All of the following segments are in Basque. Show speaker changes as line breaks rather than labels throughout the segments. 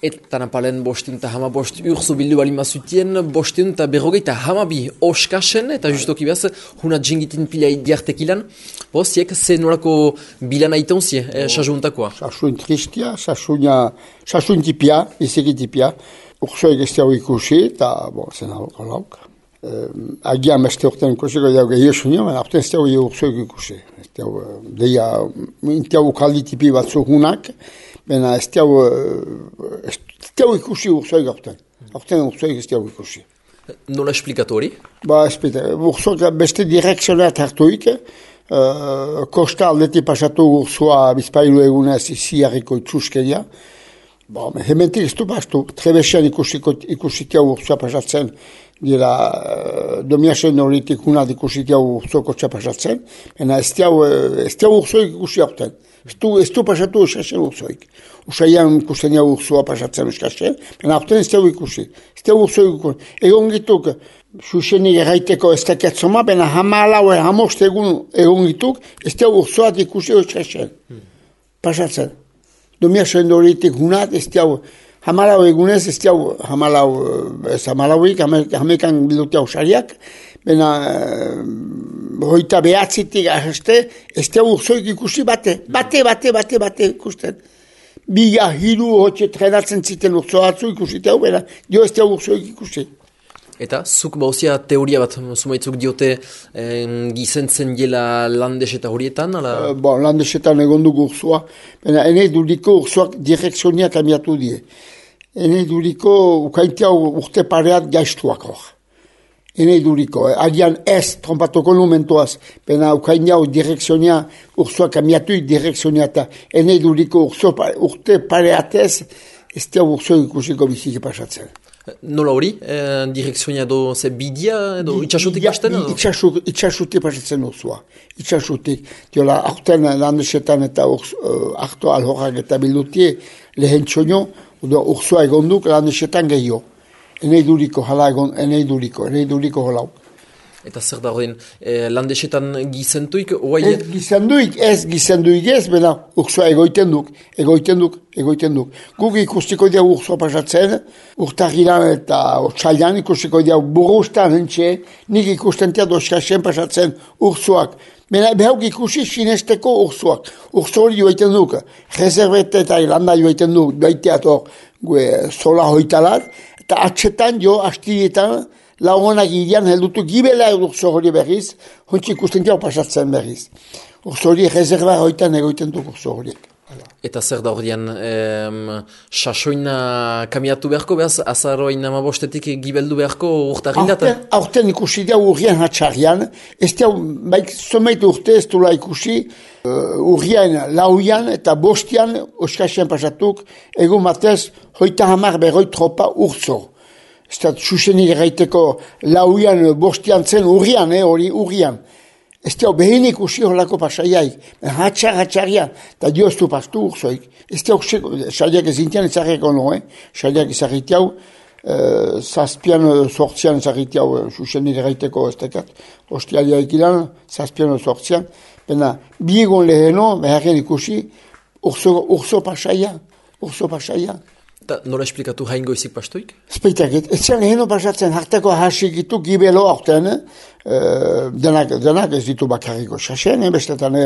Eta napalen bosteun eta hamabost urzu bildu bali mazutien, bosteun eta berrogeita hamabi oskasen, eta justoki behaz, hunat jengitin pila diartekilan. Ziek, ze norako bilan aiton zie, sasuntakoa?
Sasun tristia, sasun tipia, izeki tipia. Ursoek ez diau ikusi, eta, zen hau lauk. Agian beste urtean ikusiko diau gehiago sunio, baina urtean ez diau ursoek ikusi. Ez diau, deia, intiau ukaldi tipi batzu hunak, baina ez diau ikusi ursoek aurten. Aurten ursoek ez diau ikusi.
Nola esplikatu hori?
Ursoek beste direkzioneat hartuik, kosta aldeti pasatu ursoa bizpailu egunez iziarriko itxuskeria. Hementik ez du bastu, trebesian ikusitia ursoa pasatzen, dira domiasen horitik unat ikusitia ursoako txapasatzen, baina ez diau ursoek ikusi aurten. Ez du pasatu uskasen ursoik. Usaian ikusten jau ursoa pasatzen uskasen, baina aurten ez diau ikusi. Ez diau ursoik ikusi. Egon gituk, susenik erraiteko ez dakiatzoma, baina hamalau hamost egon gituk, ez diau ursoat ikusi uskasen. Pasatzen. Domiasen horitik unat, ez diau, hamalau egunez, ez diau, hamalauik, hamekan bilutia usariak, baina hoita behatzitik ahazte, ez diau ursoik ikusi bate ikusten. Biga hiru hotxe trenatzen ziten urso atzu ikusi diau, baina dio ez diau ursoik ikusi.
Eta zuk bauzia teoria bat, zumaitzuk diote gizentzen jela landes eta horietan?
Landesetan egon dugu ursoa, baina enei duriko ursoak direkzionia kamiatu die. Enei duriko ukaintia urte pareat gaiztuak hor. Enei duriko, agian ez trompatoko numentoaz, baina ukaintia direkzionia ursoa kamiatu direkzionia eta enei duriko urte pareatez ez dia urso ikusiko biziki pasatzen.
Nola hori? Direkzionia edo ze bidia edo itxasutik hasten?
Itxasutik pasatzen ursoa. Itxasutik. Diola, aurten landesetan eta hartu alhorak eta bildutie lehen txonio, ursoa egonduk landesetan gehiago. Enei duriko holau.
Eta zer da horren, landesetan gizentuik?
Gizenduik ez, bena ursoa egoiten duk. Guk ikustiko diau ursoa pasatzen, urtagiran eta otsailan ikustiko diau burustan hentxe, nik ikusten tia doskasen pasatzen ursoak. Bena behauk ikusi sinesteko ursoak. Urso hori joaiten duk, reservete eta iranda joaiten duk, doaiteator zola hoitalat, eta atxetan jo, astilietan, laugonak irian heldutu gibela urso hori berriz, hontsi ikusten jau pasatzen berriz. Urso hori reserva hoitan egoiten duk urso horiek.
Eta zer da horrean, sasoina kamiatu beharko behaz, azaroin amabostetik gibeldu beharko urtarrindatan?
Aurten ikusi diau urrian hatxarrian, ez diau, someit urte ez dula ikusi, urrian lauian eta bostian oskasian pasatuk, egun batez, hoita hamar berroi tropa urso. Ez da, susenik erraiteko lauian bostian zen urrian, hori urrian. Ez diau, behin ikusi horlako pasaiaik, hatxarrian, eta dio ez du pastu urzoik. Ez diau, saliak ezintian ezarriko no, saliak ezarritiau, zazpian sortzian ezarritiau, susenik erraiteko ez dekat, hostialiaik ilan, zazpian sortzian, bena, biegon leheno, beharren ikusi, urzo pasaia.
Eta nola esplikatu haingoizik pastuik?
Speitakit, ez zen leheno pasatzen hartako hasikitu gibelo aurten, denak ez ditu bakarriko xasen, bestetan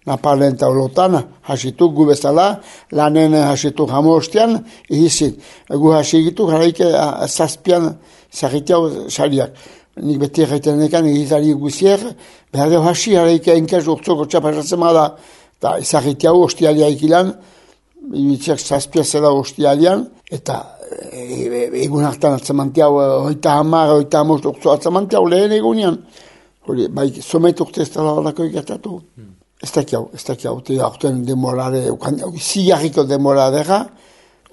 napalen eta olotan hasitu gu bezala, lanen hasitu jamostian, ihizit. Gu hasikitu garaike zazpian zarritiau saliak. Nik beti erraiten nekan egizari guzier, behar deo hasi garaike enkaz urtzoko txapasatzen da, eta zarritiau hostialiaik ilan, ibitziak zazpia zela hostialian, eta egun hartan atzamantiau, hoita hamos urtzo atzamantiau lehen egunian. Hori, bai, somet urte ez dala horako ikertatu. Ez dakiau, aurten demorare, zigarriko demoradera,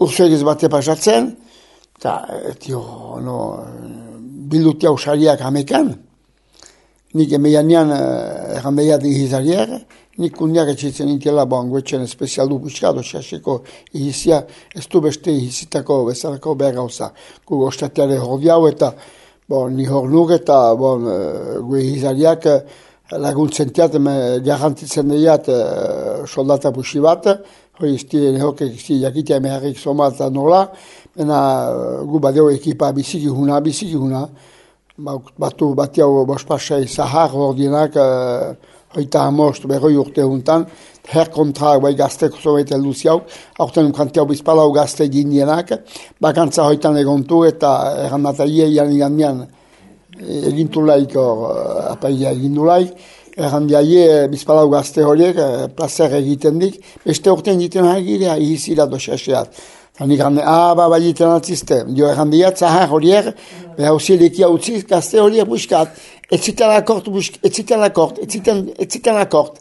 urtzoek ez bate pasatzen, eta, bildutia usariak hamekan, nik emeianean errandeiat ihizariak, nik kundiak etxitzen intiela banguetxen espezialdu buskado xaseko ihizia, ez du beste ihizitako bezalako behar gauza. Gu ostateare hor diau eta ni hor nuk eta gu ihizariak laguntzen tiat, garantitzen diat soldata busi bat, hori hokek jakitea meharrik somata nola, gu badeo ekipa biziki huna, batu batiau bospasai zahar ordienak, hoita amost, berroi urte juntan, herkontra bai gazteko zobait elduziau, aurten kantiau bizpalau gazte gindienak, bakantza hoitan egontu eta errandataie ian egintulaik, apaia egindulaik, errandiaie bizpalau gazte horiek, plazer egiten dik, beste urtean egiten hagirea, ihizira doxaseat. Nik gande, bai egiten altzizte, jo errandiat zahar horiek, beha usilekia utziz, gazte horiek buskat, etziten akort.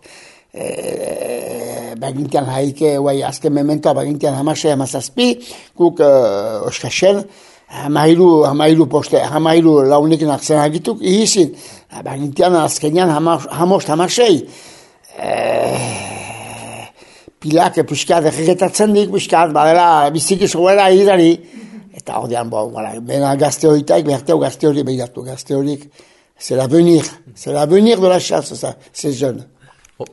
Bagintian haike, azken mementoa, bagintian hamasei hamazazpi, guk oskasen, hamairu launekin akzen agituk, ihizin, bagintian azkenian hamasei, pilak puskat egitatzen dik, puskat, badela, biziki zoela idari, eta ordean, bena gazte horitaik, berteu gazte hori behiratu, gazte horik, c'est l'avenir de la chasse, ça, ces jeunes.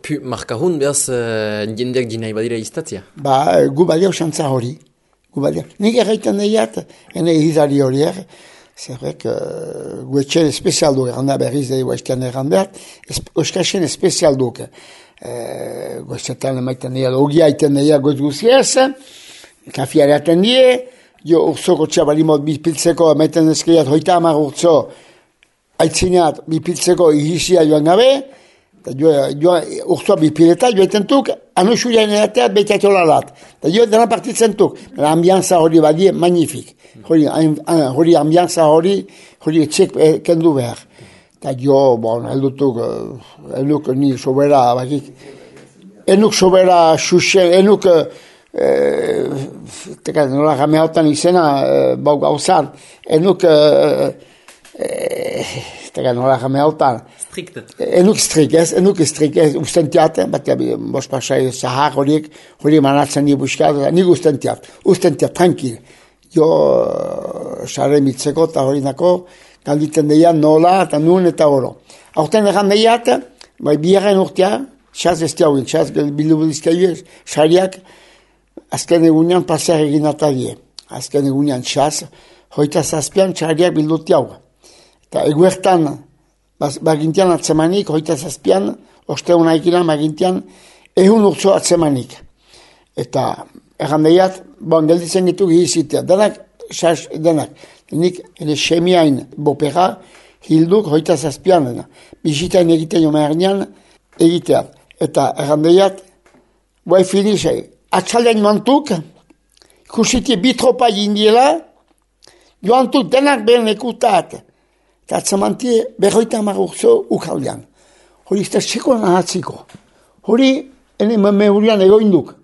Pu markahun behaz jendeak dinai badira iztatzia?
Gu badio xantza hori. Nik erraiten deiat, ene izari horiek, zerrek gu etxen espezial duk, erranda berriz daigu esken errandeat, oskasen espezial duk. Gu esetan emaiten deiat, ogia iten deiat goz guziez, kafiare aten die, jo urzoko txabalimot bipiltzeko, emaiten ezkeiat hoita amar urtzo, aitzinat bipiltzeko ihizia joan gabe, urtsua bipileta, joetan tuk, anusulian erateat behiteatola lat. Jo dena partitzen tuk, ambianza hori badie, magnifik. Hori ambianza hori etxek kendu behar. Eta jo, heldutuk, enuk ni sobera, bakik, enuk sobera xuxen, enuk, nola gameautan izena, gauzan, enuk, nola gameautan, enuk strik, ustentiat, bat bospasai zahar hori manatzen ni buskat, nik ustentiat, tranquil. Jo, xarre mitzeko eta hori nako, galditen deian nola eta nun eta oro. Aurten egan deiat, biaren urtea, xaz bestiauen, xaz bilubudizkaio, xariak, azken egunean pasear egin atadie. Azken egunean xaz, hoita zazpian xariak bildutiau. Eta eguertan, bagintian atzemanik, hoita zazpian, osteuna ikilan bagintian, ehun urtzo atzemanik. Eta errandeiat, gelditzen ditu gizitea. Denak, nik semiain bopera, hilduk hoita zazpian. Bizitain egiten jo mehernean, egitea. Eta errandeiat, finisei, atxaldean joantuk, ikusitie bitropa jindiela, joantuk denak behen ekutat. Eta atzamantie berroita amarurzo ukaldean. Hori izta sekolan ahatziko. Hori ene mehurian egoinduk.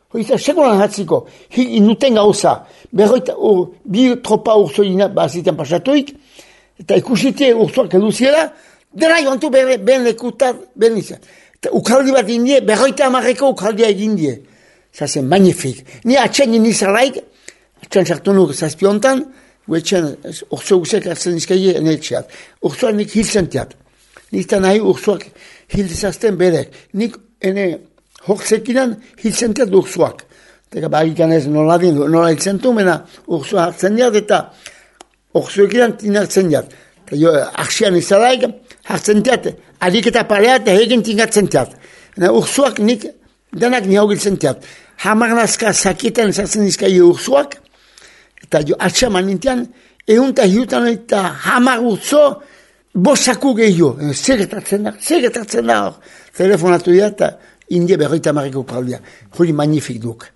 Hori izta sekolan ahatziko. Inuten gauza. Berroita bi tropa urzo baziten pasatuik. Eta ikusitie urzoak eduziela. Dena joantu behen ekutat, behen izan. Eta ukaldi bat indie, berroita amarreko ukaldia egindie. Zazen, magnifik. Ni atxen inizalaik, atxen sartu nuk zazpiontan, guetxen, urzo guzek hartzen izkaie enetxeat. Urzoak nik hilzentiat. Nik eta nahi urzoak hilzazten berek. Nik ene hortzekinan hilzentiat urzoak. Eta bagikan ez nola hilzentu, mena urzoa hartzen diat eta urzoekinan tinartzen diat. Eta jo, arxian izalaik, hartzen diat, adik eta pareat, egin tingatzen diat. Urzoak nik, denak ni hau giltzentiat. Hamarnazka sakietan zartzen izkaie urzoak, eta jo, atxaman nintian, eunta hiutan eta hamar urzo, bosaku gehiago. Zegetatzen da hor. Telefonatu dira eta indie berroita marriko kaldia. Hori magnifik duk.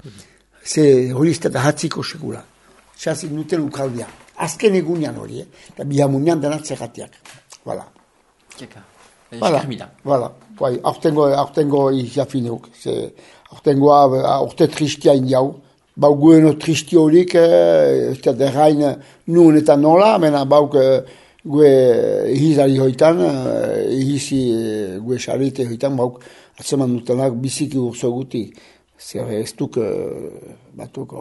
Hori izte da hatziko sekula. Xazik nuten ukaldia. Azken egunean hori, eta bihamunean denat zegatiak. Voilà. Voilà. Aurtengo izafinuk. Aurtengoa, aurte tristia indiau. Bau gueno tristi horik, eta derrain nun eta nola, mena bauk gue hizari hoitan, hizi gue xarite hoitan, bauk atzeman dutenak biziki urzo guti. Zer ez duk batuk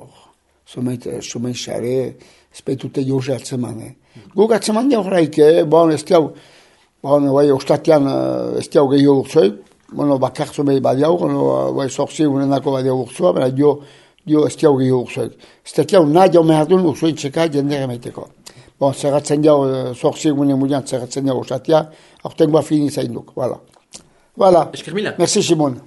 somen xare, espetute joze atzeman. Guk atzeman di horreik, ez diau, ostatian ez diau gehiago urzoik, bueno, bakartzo behi badiauk, bai sortzi egunenako badiauk urzua, baina dio ez diau gehi urzuek. Ez tekiau nahi jau mehardun urzua itxeka jendere meiteko. Bon, zerratzen jau, sortzi egunen mulian zerratzen jau usatia, aurtengoa fini zainduk, voilà. Voilà.
Esker mila.
Merci Simon.